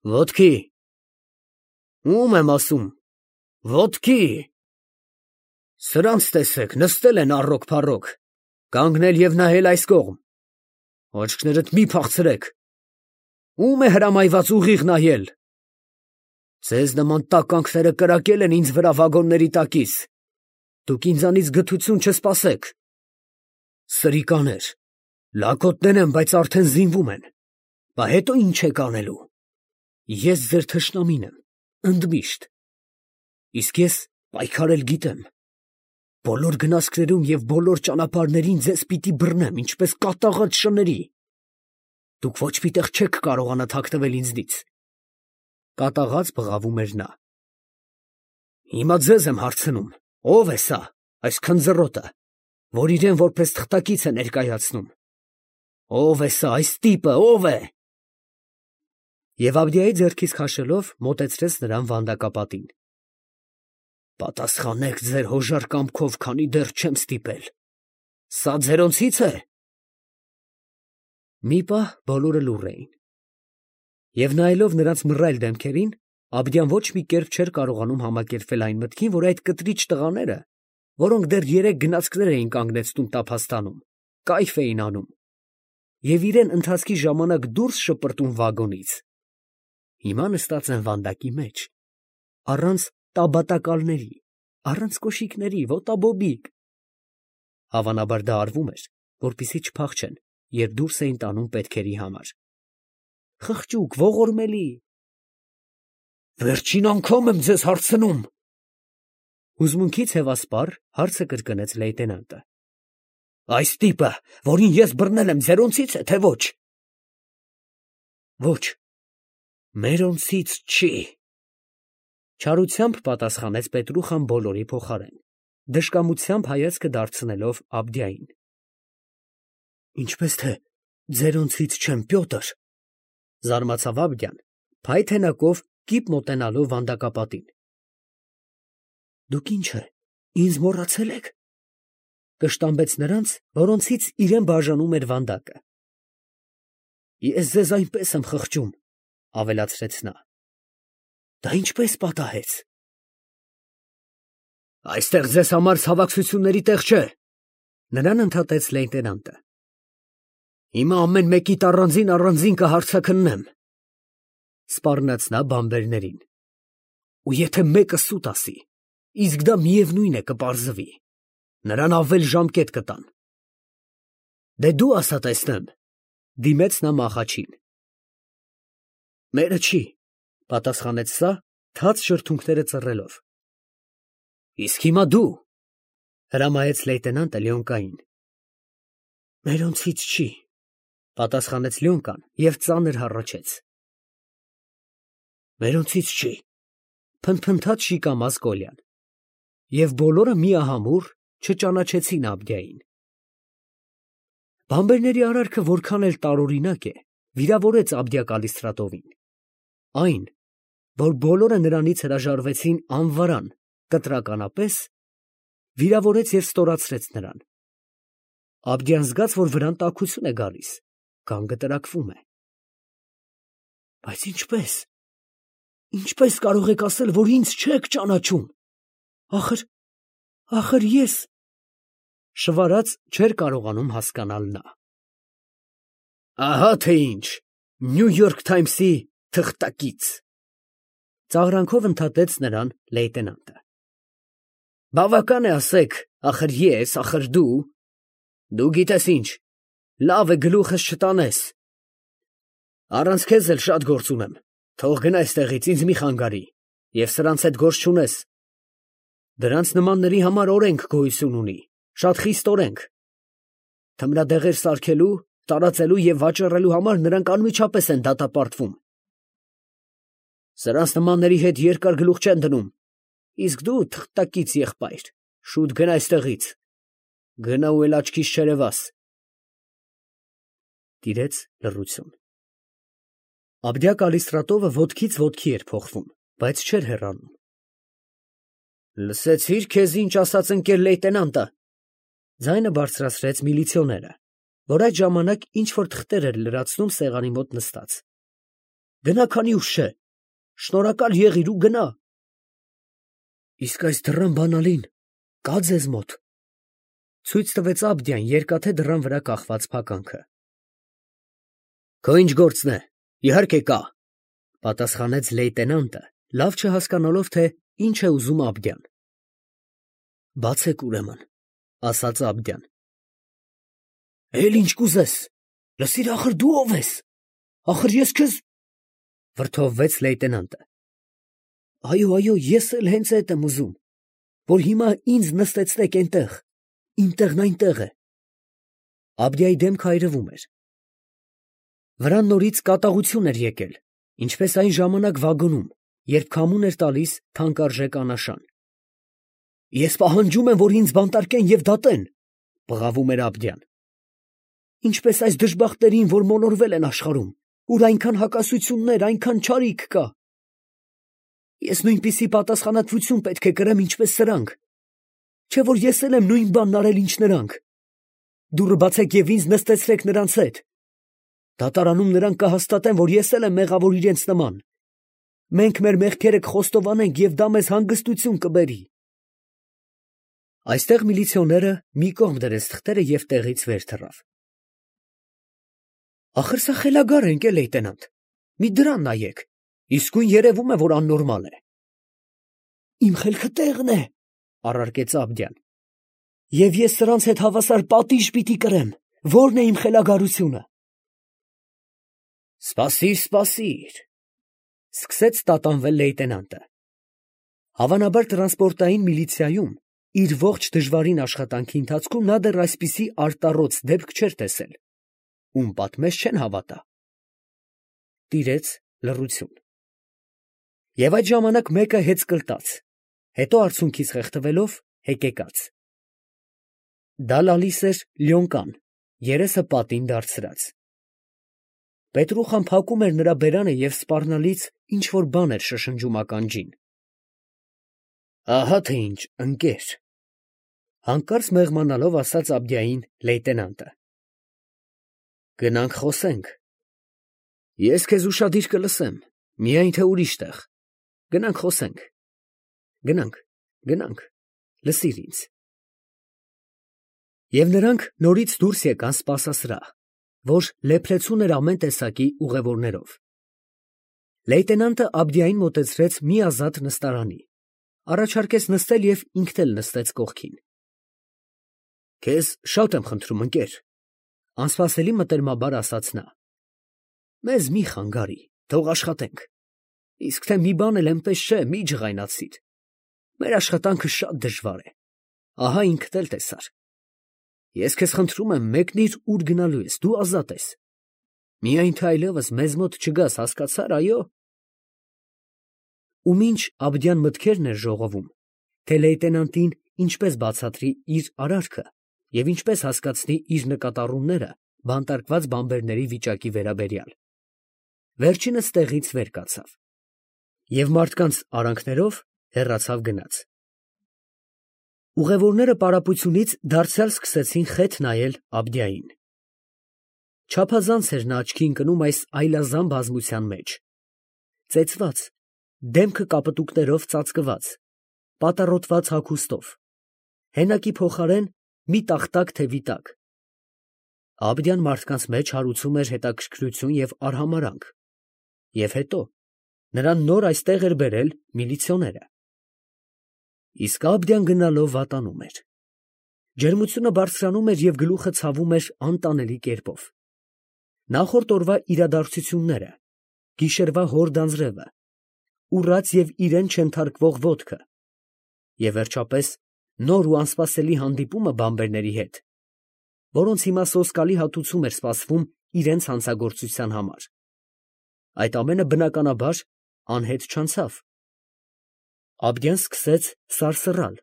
Ոտքի։ Ում եմ ասում։ Ոտքի։ Սրանց տեսեք, նստել են առոք-փառոք, կանգնել և նայել այս կողմ։ Աչքներդ մի փախցրեք։ Ում է հրամայված ուղիղ նայել։ Ձեզ նման տականքները կրակել են ինձ վրա վագոնների տակից։ Դուք ինձանից գթություն չսպասեք։ Սրիկաներ, լակոտներ են, բայց արդեն զինվում են։ Բա հետո ինչ եք անելու։ Ես ձեր թշնամին եմ, ընդմիշտ։ Իսկ ես պայքարել գիտեմ։ Բոլոր գնացքներում և բոլոր ճանապարհներին ձեզ պիտի բռնեմ, ինչպես կատաղած շների։ Դուք ոչ մի տեղ չեք կարողանա թաքնվել ինձնից։ Կատաղած բղավում էր նա։ Հիմա ձեզ եմ հարցնում, ո՞վ է սա, այս քնձռոտը, որ իրեն որպես թղթակից է ներկայացնում։ Ո՞վ է սա, այս տիպը, ո՞վ է։ Եվ Աբդիայի ձեռքից քաշելով մոտեցրեց նրան վանդակապատին։ Պատասխանեք ձեր հոժար կամքով, քանի դեռ չեմ ստիպել։ Սա ձերոնցից է։ Մի պահ բոլորը լուռ էին։ Եվ նայելով նրանց մռայլ դեմքերին, Աբդիան ոչ մի կերպ չէր կարողանում համակերպվել այն մտքին, որ այդ կտրիչ տղաները, որոնք դեռ 3 գնացքներ էին կանգնեցնում տափաստանում, կայֆ էին անում, և իրեն ընթացքի ժամանակ դուրս շպրտում վագոնից, հիմա նստած են վանդակի մեջ, առանց տաբատակալների, առանց կոշիկների, ոտաբոբիկ։ Հավանաբար դա արվում էր, որպեսզի չփախչեն, երբ դուրս էին տանում պետքերի համար։ Խղճուկ, ողորմելի։ Վերջին անգամ եմ ձեզ հարցնում։ Հուզմունքից հևասպառ հարցը կրկնեց լեյտենանտը։ Այս տիպը, որին ես բռնել եմ, ձերոնցից է, թե ոչ։ Ոչ, մերոնցից չի։ Չարությամբ պատասխանեց Պետրուխան բոլորի փոխարեն, դժկամությամբ հայացքը դարձնելով Աբդիային։ Ինչպես թե ձերոնցից չեմ, Պյոտր, զարմացավ Աբդիան, փայտ հենակով կիպ մոտենալով վանդակապատին։ Դուք ինչ է, ինձ մոռացել եք։ Կշտամբեց նրանց, որոնցից իրեն բաժանում էր վանդակը։ Ես ձեզ այնպես եմ խղճում, ավելացրեց նա։ Դա ինչպես պատահեց։ Այստեղ ձեզ համար ցավակցությունների տեղ չէ, նրան ընդհատեց լեյտենանտը։ Հիմա ամեն մեկիդ առանձին կհարցաքննեմ, սպառնաց նա բանբերներին։ Ու եթե մեկը սուտ ասի, իսկ դա միևնույն է կպարզվի, նրան ավել ժամկետ կտան։ Դե դու ասա տեսնեմ, դիմեց նա մախաչին։ Մերը չի, պատասխանեց սա, թաց շրթունքները ծռելով։ Իսկ հիմա դու, հրամայեց լեյտենանտը Լյոնկային։ Մերոնցից չի, պատասխանեց Լյոնկան և ծանր հառաչեց։ Մերոնցից չի, փնթփնթաց շիկամազ Կոլյան։ Եվ բոլորը միահամուռ չճանաչեցին Աբդիային։ Բանբերների արարքը որքան էլ տարօրինակ է, վիրավորեց Աբդիա Կալիստրատովին։ Այն, որ բոլորը նրանից հրաժարվեցին անվարան, կտրականապես, վիրավորեց և ստորացրեց նրան։ Աբդիան զգաց, որ վրան տաքություն է գալիս, գանգը տրաքվում է։ Բայց ինչպես կարող եք ասել, որ ինձ չեք ճանաչում։ Ախր ես… շվարած չէր կարողանում հասկանալ նա։ Ահա թե ինչ, Նյու Յորք Թայմսի թղթակից, ծաղրանքով ընդհատեց նրան լեյտենանտը։ Բավական է ասեք, ախր ես, ախր դու գիտես ինչ, լավ է գլուխս չտանես։ Առանց քեզ էլ շատ գործ ունեմ, թող գնա այստեղից, ինձ մի խանգարի, և սրանց հետ գործ չունես։ Դրանց նմանների համար օրենք գոյություն ունի, շատ խիստ օրենք։ Թմրադեղեր սարքելու, տարածելու և վաճառելու համար նրանք անմիջապես են դատապարտվում։ Սրանց նմանների հետ երկար գլուխ չեն դնում։ Իսկ դու, թղթակից եղբայր, շուտ գնա այստեղից։ Գնա ու էլ աչքիս չերևաս։ Տիրեց լռություն։ Աբդիա Կալիստրատովը ոտքից ոտքի էր փոխվում, բայց չէր հեռանում։ Լսեցի՞ր քեզ ինչ ասաց ընկեր լեյտենանտը, ձայնը բարձրացրեց միլիցիոները, որ այդ ժամանակ ինչ-որ թղթեր էր լրացնում սեղանի մոտ նստած։ Գնա քանի ուշ չէ, շնորհակալ եղիր ու գնա։ Իսկ այս դռան բանալին կա ձեզ մոտ։ Ցույց տվեց Աբդիան երկաթե դռան վրա կախված փականքը։ Քո ինչ գործն է, իհարկե կա, պատասխանեց լեյտենանտը, լավ չհասկանալով, թե ինչ է ուզում Աբդյան։ Բացեք ուրեմն, ասաց Աբդյան։ Էլ ինչ կուզես, լսիր, ախր դու ով ես, ախր ես քեզ, վրդովվեց լեյտենանտը։ Այո, ես էլ հենց այդ եմ ուզում, որ հիմա ինձ նստեցնեք այնտեղ, իմ տեղն այնտեղ է։ Աբդիայի դեմքը այրվում էր։ Վրան նորից կատաղություն էր եկել, ինչպես այն ժամանակ վագոնում, երբ քամուն էր տալիս թանկարժեք անաշան։ Ես պահանջում եմ, որ ինձ բանտարկեն և դատեն, բղավում էր Աբդյան։ Ինչպես այս դժբախտերին, որ մոլորվել են աշխարհում, ուր այնքան հակասություններ, այնքան չարիք կա։ Ես նույնպիսի պատասխանատվություն պետք է կրեմ, ինչպես սրանք, չէ՞ որ ես էլ եմ նույն բանն արել, ինչ նրանք։ Դուռը բացեք և ինձ նստեցրեք նրանց հետ։ Դատարանում նրանք կհաստատեն, որ ես էլ եմ մեղավոր իրենց նման։ Մենք մեր մեղքերը կխոստովանենք և դա մեզ հանգստություն կբերի։ Այստեղ միլիցիոները մի կողմ դրեց թղթերը և տեղից վեր թռավ։ Ախր սա խելագար ենք, լեյտենանտ, մի դրան նայեք, իսկույն երևում է, որ աննորմալ է։ Իմ խելքը տեղն է, առարկեց Աբդյան։ Եվ ես սրանց հետ հավասար պատիժ պիտի կրեմ, ո՞րն է իմ խելագարությունը։ Սպասիր, սկսեց տատանվել լեյտենանտը։ Հավանաբար տրանսպորտային միլիցիայում իր ողջ դժվարին աշխատանքի ընթացքում նա դեռ այսպիսի արտառոց դեպք չէր տեսել, ում պատմես չեն հավատա։ Տիրեց լռություն։ Եվ այդ ժամանակ մեկը հեծկլտաց, հետո արցունքից խեղդվելով հեկեկաց։ Դա լալիս էր Լյոնկան, երեսը պատին դարձրած։ Պետրուխան փակում էր նրա բերանը և սպառնալից ինչ֊որ բան էր շշնջում ականջին։ Ահա թե ինչ, ընկեր, հանկարծ մեղմանալով ասաց Աբդիային լեյտենանտը։ Գնանք խոսենք։ Ես քեզ ուշադիր կլսեմ, միայն թե ուրիշ տեղ։ Գնանք խոսենք։ Գնանք, լսիր ինձ։ Եվ նրանք նորից դուրս եկան սպասասրահ, որ լեփլեցուն էր ամեն տեսակի ուղևորներով։ Լեյտենանտը Աբդիային մոտեցրեց մի ազատ նստարանի, առաջարկեց նստել և ինքն էլ նստեց կողքին։ Քեզ շատ եմ խնդրում, ընկեր, անսպասելի մտերմաբար ասաց նա։ Մեզ մի խանգարի, թող աշխատենք։ Իսկ թե մի բան էլ էնպես չէ, մի ջղայնացիր։ Մեր աշխատանքը շատ դժվար է, ահա ինքդ էլ տեսար։ Ես քեզ խնդրում եմ, մեկնիր, ուր գնալու ես, դու ազատ ես։ Միայն թե այլևս մեզ մոտ չգաս, հասկացա՞ր, այո։ Ու մինչ Աբդյան մտքերն էր ժողովում, թե լեյտենանտին ինչպես բացատրի իր արարքը և ինչպես հասկացնի իր նկատառումները բանտարկված բանբերների վիճակի վերաբերյալ, վերջինս տեղից վեր կացավ և մարդկանց արանքներով հեռացավ գնաց։ Ուղևորները պարապությունից դարձյալ սկսեցին խեթ նայել Աբդիային։ Չափազանց էր նա աչքի ընկնում այս այլազան բազմության մեջ։ Ծեծված, դեմքը կապտուկներով ծածկված, պատառոտված հագուստով, հենակի փոխարեն մի տախտակ թևի տակ։ Աբդյան մարդկանց մեջ հարուցում էր հետաքրքրություն և արհամարհանք։ Եվ հետո նրան նոր այստեղ էր բերել միլիցիոները։ Իսկ Աբդյան գնալով վատանում էր։ Ջերմությունը բարձրանում էր և գլուխը ցավում էր անտանելի կերպով։ Նախորդ օրվա իրադարձությունները, գիշերվա հորդ անձրևը, ուռած և իրեն չենթարկվող ոտքը և վերջապես նոր ու անսպասելի հանդիպումը բանբերների հետ, որոնց հիմա սոսկալի հատուցում էր սպասվում իրենց հանցագործության համար։ Այդ ամենը բնականաբար անհետ չանցավ։ Աբդյան սկսեց սարսռալ,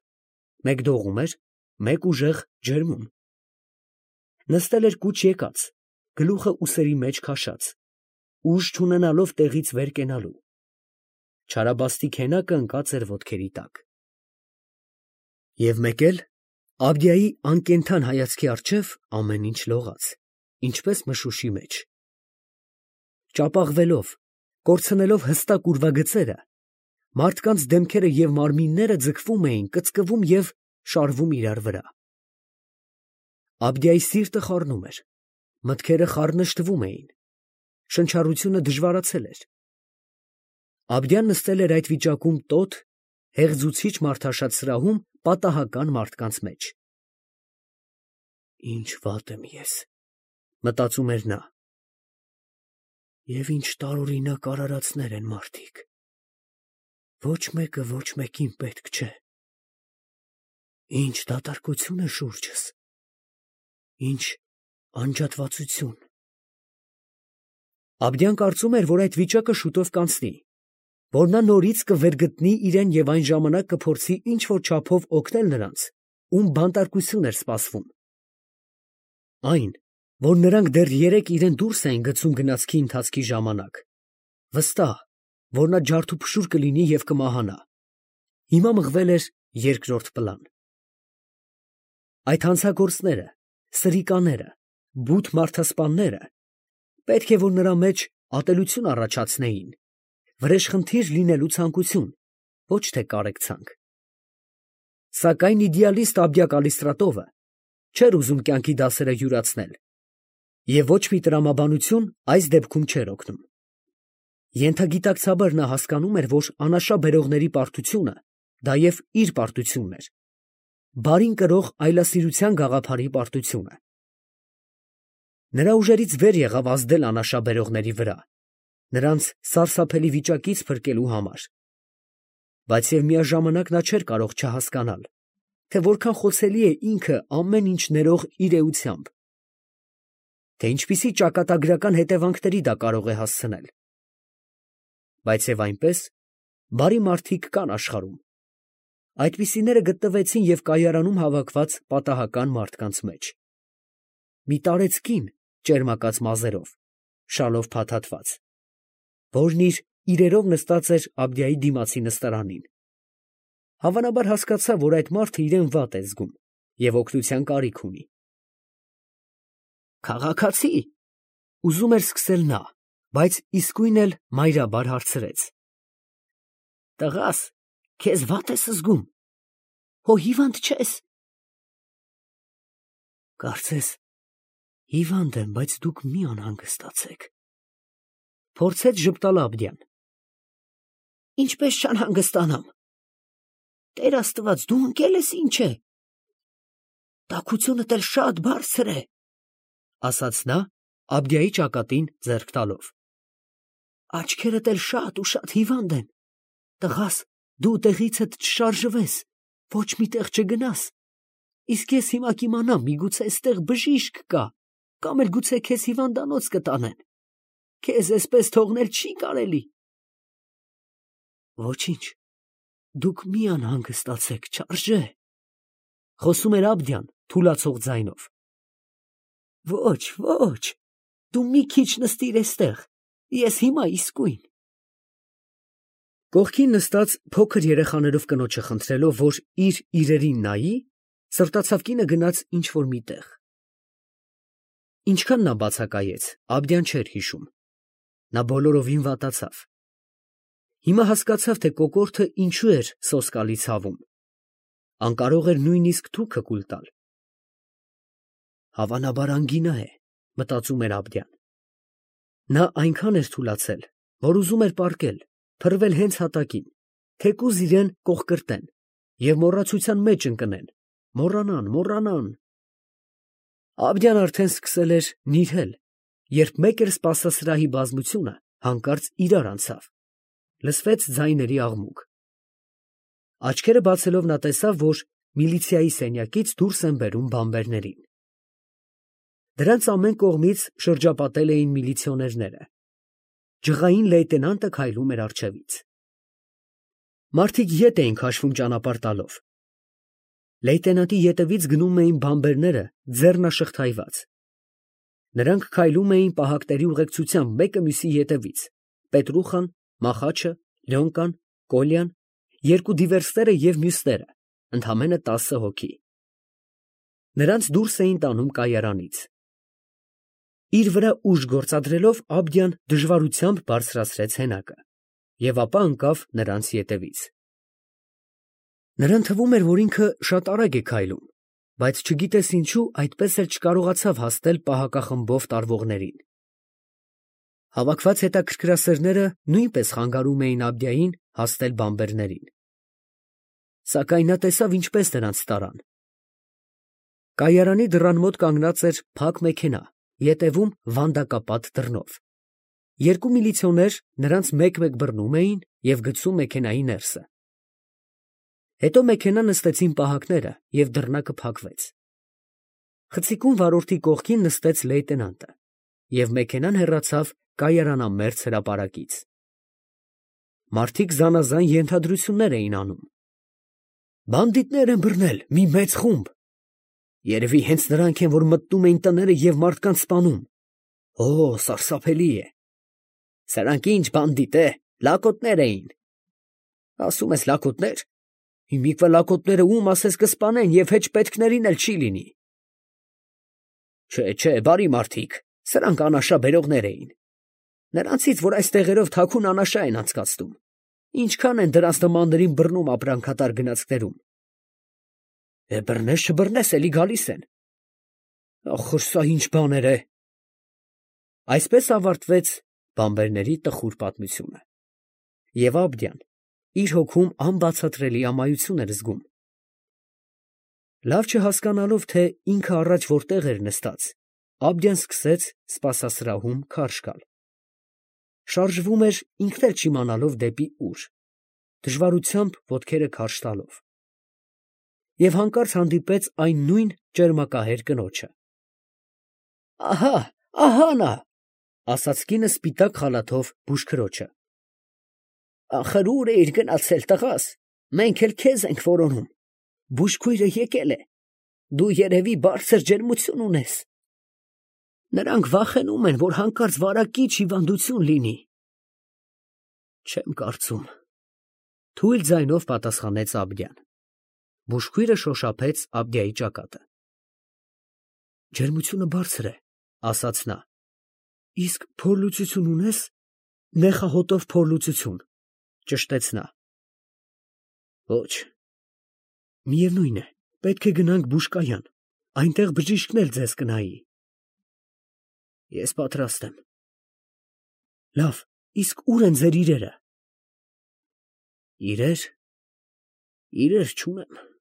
մեկ դողում էր, մեկ ուժեղ ջերմում։ Նստել էր կուչ եկած, գլուխը ուսերի մեջ քաշած, ուժ չունենալով տեղից վեր կենալու։ Չարաբաստիկ հենակը ընկած էր ոտքերի տակ։ Եվ մեկ էլ Աբդիայի անկենդան հայացքի առջև ամեն ինչ լողաց, ինչպես մշուշի մեջ։ Ճապաղվելով, Կորցնելով հստակ ուրվագծերը, մարդկանց դեմքերը և մարմինները ձգվում էին, կծկվում և շարվում իրար վրա։ Աբդիայի սիրտը խառնում էր, մտքերը խառնշտվում էին, շնչառությունը դժվարացել էր։ Աբդիան նստել էր այդ վիճակում տոտ, հեղձուցիչ մարդաշատ սրահում պատահական մարդկանց մեջ։ «Ինչ վատ եմ ես», մտածում էր նա, «և ինչ տարօրինակ արարածներ են մարդիկ, ոչ մեկը ոչ մեկին պետք չէ, ինչ դատարկություն է շուրջս, ինչ անջատվածություն»։ Աբդիան կարծում էր, որ այդ վիճակը շուտով կանցնի, որ նա նորից կվերգտնի իրեն և այն ժամանակ կփորձի ինչ-որ չափով օգնել նրանց, ում բանտարկություն էր սպասվում։ Այն, որ նրանք դեռ երեկ իրեն դուրս էին գցում գնացքի ընթացքի ժամանակ, վստահ, որ նա ջարդուփշուր կլինի և կմահանա, հիմա մղվել էր երկրորդ պլան։ Այդ հանցագործները, սրիկաները, բութ մարդասպանները պետք է որ նրա մեջ ատելություն առաջացնեին, վրեժխնդիր լինելու ցանկություն, ոչ թե կարեկցանք։ Սակայն իդեալիստ Աբդիա Կալիստրատովը չէր ուզում կյանքի դասերը յուրացնել, և ոչ մի տրամաբանություն այս դեպքում չէր օգնում։ Ենթագիտակցաբար նա հասկանում էր, որ անաշա բերողների պարտությունը դա և իր պարտությունն էր, բարին կրող այլասիրության գաղափարի պարտությունը։ Նրա ուժերից վեր եղավ ազդել անաշա բերողների վրա, նրանց սարսափելի վիճակից փրկելու համար, բայց և միաժամանակ նա չէր կարող չհասկանալ, թե որքան խոցելի է ինքը ամեն ինչ ներող իր էությամբ, թե ինչպիսի ճակատագրական հետևանքների դա կարող է հասցնել։ Բայց և այնպես, բարի մարդիկ կան աշխարհում, այդպիսիները գտնվեցին և կայարանում հավաքված պատահական մարդկանց մեջ։ Մի տարեց կին ճերմակած մազերով, շալով փաթաթված, որն իր իրերով նստած էր Աբդիայի դիմացի նստարանին, հավանաբար հասկացավ, որ այդ մարդը իրեն վատ է զգում և օգնության կարիք ունի։ «Քաղաքացի՞, ուզում էր սկսել նա, բայց իսկույն էլ մայրաբար հարցրեց. «Տղաս, քեզ վա՞տ ես զգում, հո հիվանդ չես»։ «Կարծես հիվանդ եմ, բայց դուք մի անհանգստացեք», փորձեց ժպտալ Աբդիան։ «Ինչպես չանհանգստանամ, Տեր Աստված, դու ընկել ես ինչ է, տաքությունդ էլ շատ բարձր է», ասաց նա Աբդիայի ճակատին ձեռք տալով։ «Աչքերդ էլ շատ ու շատ հիվանդ են, տղաս, դու տեղիցդ չշարժվես, ոչ մի տեղ չգնաս, իսկ ես հիմա կիմանամ, միգուցե էստեղ բժիշկ կա, կամ էլ գուցե քեզ հիվանդանոց կտանեն, քեզ էսպես թողնել չի կարելի»։ «Ոչինչ, դուք մի անհանգստացեք, չարժե», խոսում էր Աբդիան թուլացող ձայնով։ «Ոչ, ոչ, դու մի քիչ նստիր էստեղ, ես հիմա իսկույն»։ Կողքին նստած փոքր երեխաներով կնոջը խնդրելով, որ իր իրերին նայի, սրտացավ կինը գնաց ինչ֊որ մի տեղ։ Ինչքան նա բացակայեց, Աբդիան չէր հիշում, նա բոլորովին վատացավ։ Հիմա հասկացավ, թե կոկորդը ինչու էր սոսկալի ցավում, անկարող էր նույնիսկ թուքը կուլ տալ։ Հավանաբար անգինա է, մտածում էր Աբդիան։ Նա այնքան էր թուլացել, որ ուզում էր պառկել, փռվել հենց հատակին, թեկուզ իրան կոխկրտեն և մոռացության մեջ ընկնեն, մոռանան։ Աբդիան արդեն սկսել էր նիրհել, երբ մեկ էր սպասասրահի բազմությունը հանկարծ իրար անցավ, լսվեց ձայների աղմուկ։ Աչքերը բացելով նա տեսավ, որ միլիցիայի սենյակից դուրս են բերում բանբերներին։ Դրանց ամեն կողմից շրջապատել էին միլիցիոներները։ Ջղային լեյտենանտը քայլում էր առջևից։ Մարդիկ ետ էին քաշվում ճանապարհ տալով։ Լեյտենանտի ետևից գնում էին բանբերները ձեռնաշղթայված։ Նրանք քայլում էին պահակների ուղեկցությամբ մեկը մյուսի ետևից, Պետրուխան, Մախաչը, Լյոնկան, Կոլյան, երկու դիվերսները և մյուսները, ընդամենը 10 հոգի։ Նրանց դուրս էին տանում կայարանից։ Իր վրա ուժ գործադրելով Աբդյան դժվարությամբ բարձրացրեց հենակը և ապա ընկավ նրանց ետևից։ Նրան թվում էր, որ ինքը շատ արագ է քայլում, բայց չգիտես ինչու այդպես էլ չկարողացավ հասնել պահակախմբով տարվողներին։ Հավաքված հետաքրքրասերները նույնպես խանգարում էին Աբդիային հասնել բանբերներին։ Սակայն նա տեսավ ինչպես նրանց տարան։ Կայարանի դռան մոտ կանգնած էր փակ մեքենա, ետևում վանդակապատ դռնով։ Երկու միլիցիոներ նրանց մեկ-մեկ բռնում էին և գցում մեքենայի ներսը։ Հետո մեքենա նստեցին պահակները և դռնակը փակվեց։ Խցիկում վարորդի կողքին նստեց լեյտենանտը և մեքենան հեռացավ կայարանամերձ հրապարակից։ Մարդիկ զանազան ենթադրություններ էին անում. «Բանդիտներ են բռնել, մի մեծ խումբ։ Երևի հենց նրանք են, որ մտնում էին տները և մարդկանց սպանում։ Օ, սարսափելի է։ Սրանք ինչ բանդիտ է, լակոտներ էին։ Ասում ես լակոտներ։ Հիմիկվա լակոտները ում ասես կսպանեն և հեչպետքներին էլ չի լինի։ Չէ, բարի մարդիկ, սրանք անաշա բերողներ էին։ Նրանցից, որ այս տեղերով թաքուն անաշա են անցկացնում, ինչքան են դրանց նմաններին բռնում ապրանքատար գնացքներում։ Բռնես չբռնես, էլի գալիս են։ Ախր սա ինչ բաներ է։ Այսպես ավարտվեց բանբերների տխուր պատմությունը։ Եվ Աբդյան իր հոգում անբացատրելի ամայություն էր զգում։ Լավ չհասկանալով, թե ինքը առաջ որտեղ էր նստած, Աբդյան սկսեց սպասասրահում քարշ գալ։ Շարժվում էր ինքն էլ չիմանալով դեպի ուր, դժվարությամբ ոտքերը քարշ տալով։ Եվ հանկարծ հանդիպեց այն նույն ճերմակահեր կնոջը։ Ահա նա, ասաց կինը սպիտակ խալաթով բուժքրոջը։ Ախր ուր էիր գնացել, տղաս, մենք էլ քեզ ենք որոնում, բուժքույրը եկել է, դու երևի բարձր ջերմություն ունես։ Նրանք վախենում են, որ հանկարծ վարակիչ հիվանդություն լինի։ Չեմ կարծում, թույլ ձայնով պատասխանեց Աբդյան։ Բուժքույրը շոշափեց Աբդիայի ճակատը։ Ջերմությունը բարձր է, ասաց նա։ Իսկ փորլուծություն ունես։ Նեխահոտով փորլուծություն, ճշտեց նա։ Ոչ։ Միևնույն է, պետք է գնանք բուժկայան, այնտեղ բժիշկն էլ ձեզ կնայի։ Ես պատրաստ եմ։ Լավ, իսկ ուր են ձեր իրերը։ Իրեր չունեմ։